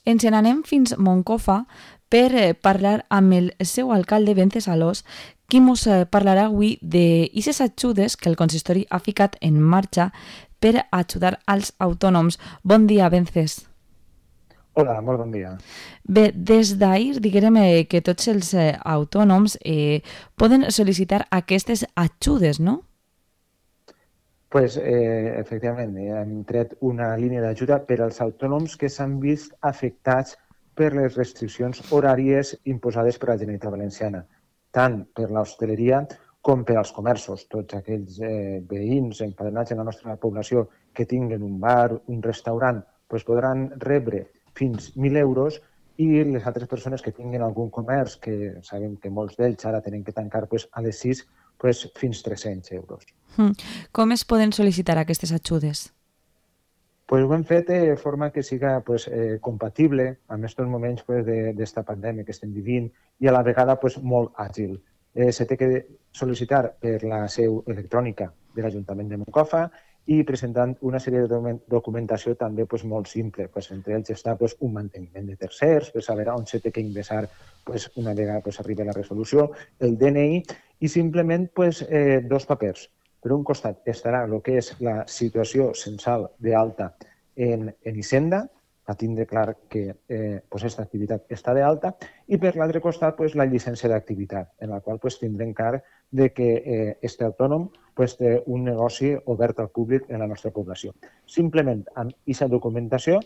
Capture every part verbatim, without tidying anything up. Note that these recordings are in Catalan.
Ens n'anem fins Moncofa per eh, parlar amb el seu alcalde Vencesalós, qui mos eh, parlarà avui d'aquestes ajudes que el consistori ha ficat en marxa per ajudar als autònoms. Bon dia, Vences. Hola, molt bon dia. Bé, des d'ahir diguem eh, que tots els eh, autònoms eh, poden sol·licitar aquestes ajudes, no? Pues, eh, efectivament, eh, hem tret una línia d'ajuda per als autònoms que s'han vist afectats per les restriccions horàries imposades per la Generalitat Valenciana, tant per l'hostaleria com per als comerços. Tots aquells eh, veïns empadronats en la nostra població que tinguen un bar, un restaurant, pues podran rebre fins mil euros i les altres persones que tinguin algun comerç, que sabem que molts d'ells ara tenen que tancar pues, a les sis, pues, fins tres-cents euros. Mm. Com es poden sol·licitar aquestes ajudes? Pues ho hem fet de forma que siga pues, eh, compatible amb aquests moments pues, d'esta pandèmia que estem vivint i a la vegada pues, molt àgil. Eh, se té que sol·licitar per la seu electrònica de l'Ajuntament de Moncofa i presentant una sèrie de documentació també pues, molt simple. Pues, entre ells està pues, un manteniment de tercers, per saber on se té que ingressar pues, una vegada pues, arribi la resolució, el D N I i simplement pues, eh, dos papers. Per un costat estarà el que és la situació censal d'alta en, en Hisenda, a tindre clar que eh, pues, aquesta activitat està d'alta, i per l'altre costat pues, la llicència d'activitat, en la qual pues, tindrem clar de que eh, este autònom pues, té un negoci obert al públic en la nostra població. Simplement amb aquesta documentació,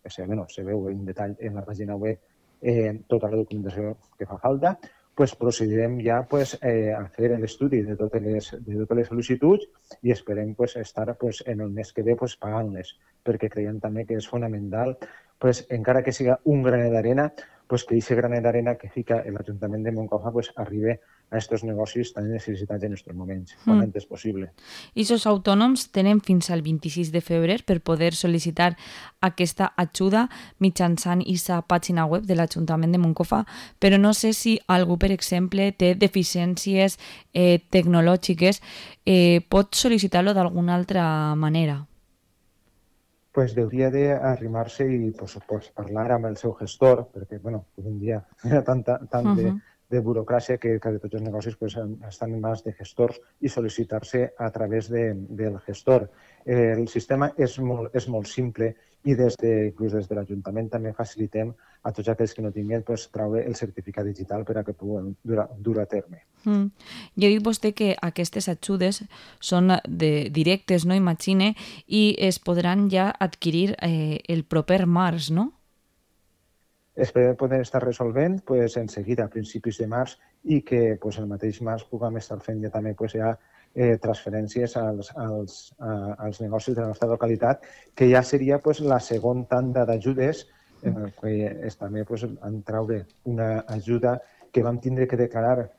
que se, bueno, se veu en detall en la pàgina web eh, tota la documentació que fa falta, pues procedirem ja pues, eh, a fer l'estudi de totes les, de totes les sol·licituds i esperem pues, estar pues, en el mes que ve pues, pagant-les, perquè creiem també que és fonamental, pues, encara que siga un granet d'arena, pues, que aquest granet d'arena que fica l'Ajuntament de Moncofa pues, arribi a aquests negocis tan necessitats en aquests moments, quan mm. antes possible. I els autònoms tenen fins al vint-i-sis de febrer per poder sol·licitar aquesta ajuda mitjançant aquesta pàgina web de l'Ajuntament de Moncofa, però no sé si algú, per exemple, té deficiències eh, tecnològiques, eh, pot sol·licitar-lo d'alguna altra manera. Pues hauria d'arrimar-se i pues, pues, parlar amb el seu gestor, perquè bueno, un dia hi ha tant, tant uh -huh. de, de burocràcia que, que de tots els negocis pues, estan en mans de gestors i sol·licitar-se a través de, del gestor. Eh, el sistema és molt, és molt simple i des de, inclús des de l'Ajuntament també facilitem a tots aquells que no tinguin pues, treure el certificat digital per a que puguen dur, dur a terme. Mm. Ja ha dit vostè que aquestes ajudes són de, directes, no imagine, i es podran ja adquirir eh, el proper març, no? Esperem poder estar resolvent pues, en seguida a principis de març i que pues, el mateix març puguem estar fent ja també pues, ja, eh, transferències als, als, a, als negocis de la nostra localitat, que ja seria pues, la segona tanda d'ajudes en el que és, també pues, en traure una ajuda que vam tindre que declarar,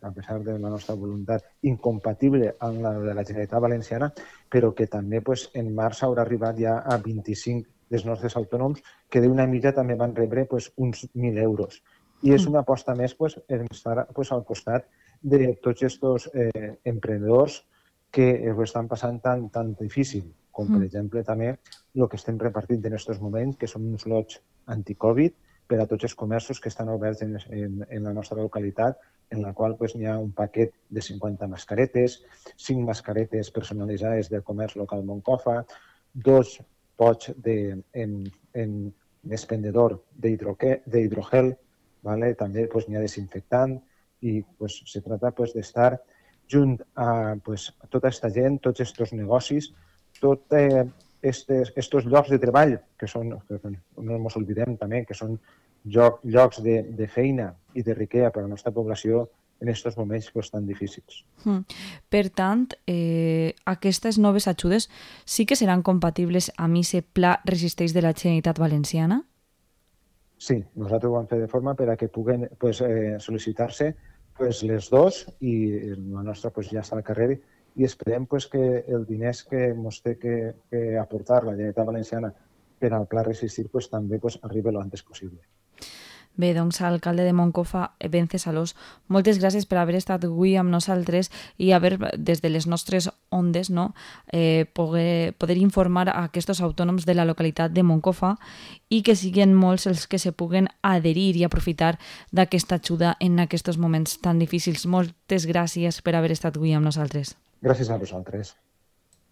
a pesar de la nostra voluntat, incompatible amb la de la Generalitat Valenciana, però que també pues, en març haurà arribat ja a vint-i-cinc dels nostres autònoms que d'una mitja també van rebre pues, uns mil euros. I és una aposta més pues, en estar pues, al costat de tots aquests eh, emprenedors que ho estan passant tan, tan difícil, com per exemple també el que estem repartint en aquests moments, que són uns lots anti-Covid per a tots els comerços que estan oberts en, en, en la nostra localitat, en la qual pues, hi ha un paquet de cinquanta mascaretes, cinc mascaretes personalitzades del comerç local Moncofa, dos pots de, en, en expendedor d'hidrogel, ¿vale? També pues, n'hi ha desinfectant i pues, se trata pues, d'estar junt a pues, tota aquesta gent, tots aquests negocis, tots eh, estos, estos llocs de treball, que són, no ens oblidem també, que són lloc, llocs de, de feina i de riquesa per a la nostra població en aquests moments pues, tan difícils. Mm. Per tant, eh, aquestes noves ajudes sí que seran compatibles amb aquest pla Resisteix de la Generalitat Valenciana? Sí, nosaltres ho vam fer de forma per a que puguen pues, eh, sol·licitar-se pues, les dos i la nostra pues, ja està al carrer i esperem pues, que els diners que ens té que, que aportar la Generalitat Valenciana per al pla Resistir pues, també pues, arribi el antes possible. Bé, doncs, alcalde de Moncofa, Vencesalós, moltes gràcies per haver estat avui amb nosaltres i haver, des de les nostres ondes, no, eh, poder, poder informar a aquests autònoms de la localitat de Moncofa i que siguin molts els que se puguen adherir i aprofitar d'aquesta ajuda en aquests moments tan difícils. Moltes gràcies per haver estat avui amb nosaltres. Gràcies a vosaltres.